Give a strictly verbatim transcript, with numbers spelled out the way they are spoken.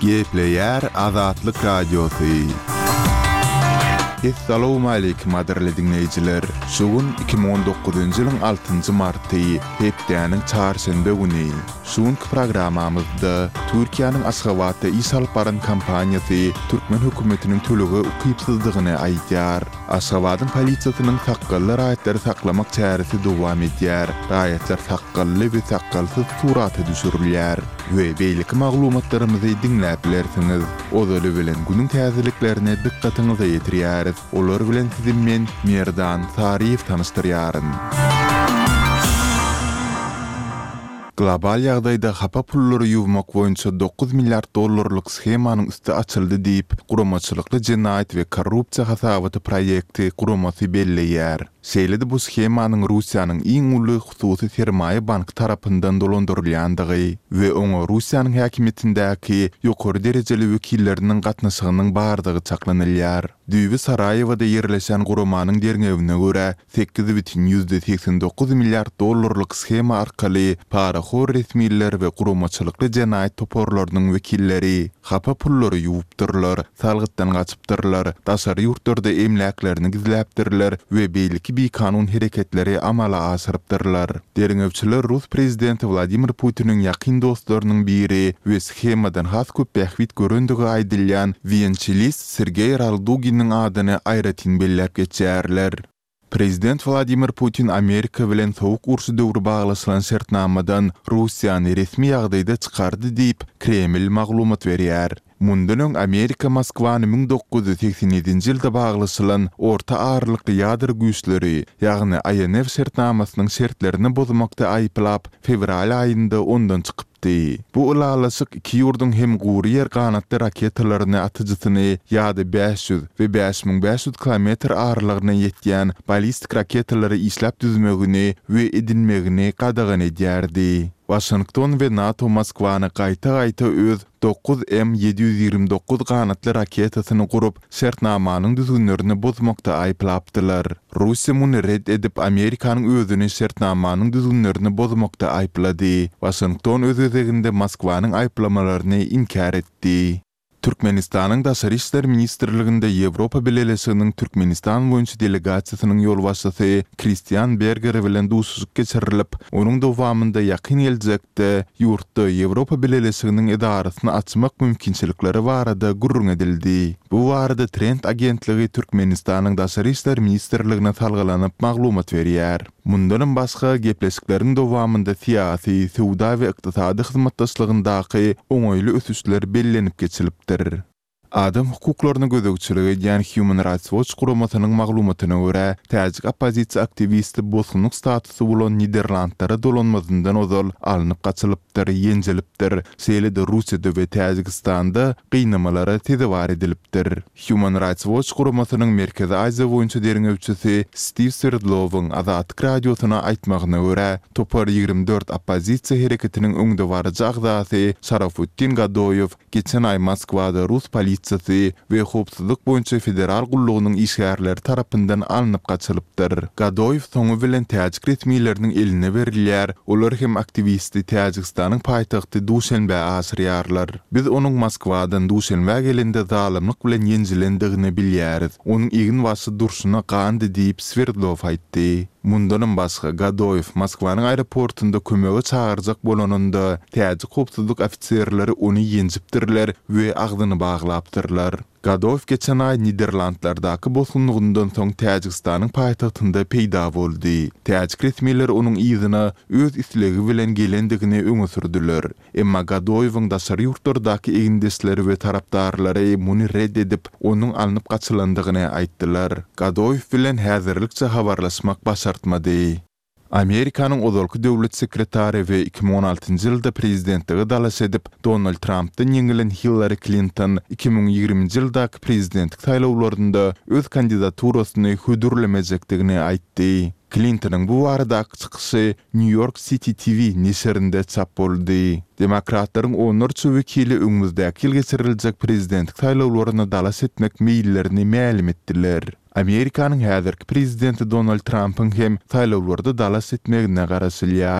Gepleýär Azatlyk Radiosy. Essalawmaleýkim gadyrly diňleýjiler! Şu gün iki müň on dokuzynjy ýylyň altynjy marty, hepdäniň çarşenbe güni. Şu günki programmamyzda Türkiýäniň Aşgabatda iş alyp baran kompaniýasy türkmen hökümetiniň tölege ukypsyzdygyny aýdýar. Aşgabadyň polisiýasynyň sakgally raýatlary saklamak çäresi dowam edýär. Raýatlar sakgally we sakgalsyz surata düşürilýär we beýleki maglumatlarymyzy diňläp bilersiňiz. Ozaly bilen günüň täzeliklerini dykgatyňyza ýetirýäris. Olar bilen sizi men, Merdan Saryýew tanyşdyrýaryn. Global ýagdaýda hapa pullary ýuwmak boýunça dokuz milliard dollarlyk shemanyň üsti açyldy diýip, Guramaçylykly jenaýat we korrupsiýa hasabaty proýekti guramasy belleýär. Şeýle-de bu shemanyň Russiýanyň iň uly hususy sermaýa banky tarapyndan dolandyrylýandygy we oňa Russiýanyň häkimiýetindäki ýokary derejeli wekilleriniň gatnaşygynyň bardygy çaklanylýar. Düýbi Saraýewada ýerleşen guramanyň derňewine görä, sekiz bütin ýüzde segsen dokuz milliard dollarlyk shema arkaly parahor resmiler we guramaçylykly jenaýat toparlarynyň wekilleri hapa pullary ýuwupdyrlar, salgytdan gaçypdyrlar, daşary ýurtlarda emläklerini gizläpdirler we beýleki bikanun hereketleri amala aşyrypdyrlar. Derňewçiler rus prezidenti Wladimir Putiniň ýakyn dostlarynyň biri we shemadan has köp bähbit görendigi aýdylýan wiençelist Sergeý Ralduginiň adyny aýratyn belläp geçýärler. Prezident Wladimir Putin Amerika bilen sowuk urşy döwri baglaşylan şertnamadan Russiýany resmi ýagdaýda çykardy diýip, Kreml maglumat berýär. Mundan öň Amerika Moskwany müň dokuz ýüz segsen ýedinji ýylda baglaşylan orta aralykly ýadro güýçleri, ýagny I N F şertnamasynyň şertlerini bozmakda aýyplap, fewral aýynda ondan çykypdy. Bu ylalaşyk iki ýurduň hem gury ýer ganatly raketalaryny atyjysyny ýa-da bäş ýüz we bäş müň bäş ýüz kilometr aralygyna ýetýän ballistik raketalary işläp düzmegini we edinmegini gadagan edýärdi. Waşington we NATO Moskwany gaýta-gaýta öz dokuz M ýedi ýüz ýigrimi dokuz ganatly raketasyny gurup, şertnamanyň düzgünlerini bozmakda aýyplapdylar. Russiýa muny ret edip, Amerikanyň özüni şertnamanyň düzgünlerini bozmakda aýyplady. Waşington öz gezeginde Moskwanyň aýyplamalaryny inkär etdi. Türkmenistanyň Daşary işler ministrliginde Ýewropa Bileleşiginiň Türkmenistan boýunça delegasiýasynyň ýolbaşçysy Kristian Berger bilen duşuşyk geçirilip, onuň dowamynda ýakyn geljekde ýurtda Ýewropa Bileleşiginiň edarasyny açmak mümkinçilikleri barada gürrüň edildi. Bu barada Trend agentligi Türkmenistanyň Daşary işler ministrligine salgylanyp maglumat berýär. Mundanam başga, gepleşikleriň dowamynda syýasy, söwda we ykdysady hyzmatdaşlygyndaky oňaýly ösüşler bellenip geçilipdir. Adam hukuklaryna gözegçilik edýän Human Rights Watch guramasynyň maglumatyna görä, täjik oppozisiýa aktiwisti bosgunlyk statusy bolan Niderlandlara dolanmazyndan ozal alnyp gaçylypdyr, ýenjilipdir, şeýle-de Russiýada we Täjigistanda gynamalara sezewar edilipdir. Human Rights Watch guramasynyň Merkezi Aziýa boýunça derňewçisi Stiw Swerdlowyň Azatlyk Radiosyna aýtmagyna görä, topar ýigrimi dört oppozisiýa hereketiniň öňdebaryjy agzasy Şarafutdin Gadoýew geçen aý Moskwada rus polisiýasy we howpsuzlyk boýunça federal gullugynyň işgärleri tarapyndan alnyp gaçylypdyr. Gadoýew soňy bilen täjik resmileriniň eline berilýär, olar hem aktiwisti Täjigistanyň paýtagty Duşenbä aşyrýarlar. Biz onuň Moskwadan Duşenbä gelende zalymlyk bilen ýenjilendigini bilýäris. Onuň egin-başy durşuna gandy diýip, Swerdlow aýtdy. Mundanam başga, Gadoýew Moskwanyň aeroportunda kömege çagyrjak bolanynda, täjik howpsuzlyk ofiserleri ony ýenjipdirler we agzyny baglapdyrlar. Gadoýew geçen aý Niderlandlardaky bosgunlygyndan soň Täjigistanyň paýtagtynda peýda boldy. Täjik resmileri onuň yzyna öz islegi bilen gelendigini öňe sürdüler. Emma Gadoýewiň daşary ýurtlardaky egindeşleri we tarapdarlary muny ret edip, onuň alnyp gaçylandygyny aýtdylar. Gadoýew bilen häzirlikçe habarlaşmak başartmady. Amerikanyň ozalky döwlet sekretary we iki müň on altynjy ýylda prezidentlige dalaş edip, Donald Trampdan ýeňilen Hillari Klinton iki müň ýigriminji ýyldaky prezidentlik saýlawlarynda öz kandidaturasyny hödürlemejekdigini aýtdy. Klintonyň bu baradaky çykyşy New York City T V neşirinde çap boldy. Demokratlaryň onlarça wekili öňümizdäki ýyl geçiriljek prezidentlik saýlawlaryna dalaş etmek meýillerini mälim etdiler. Amerikanyň häzirki prezidenti Donald Trampyň hem saýlawlarda dalaş etmegine garaşylýar.